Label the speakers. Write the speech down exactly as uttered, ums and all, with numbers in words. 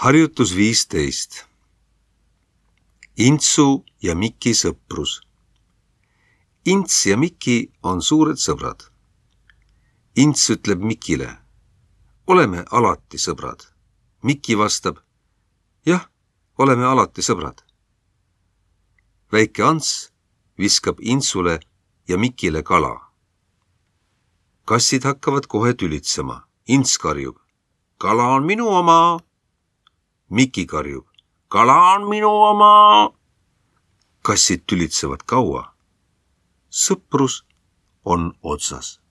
Speaker 1: Harjutus viisteist. Intsu ja Miki sõprus. Ints ja Miki on suured sõbrad. Ints ütleb Mikile, oleme alati sõbrad. Miki vastab, jah, oleme alati sõbrad. Väike Ants viskab Intsule ja Mikile kala. Kassid hakkavad kohe tülitsema. Ints karjub, kala on minu oma. Miki karjub, kala on minu oma. Kassid tülitsevad kaua. Sõprus on otsas.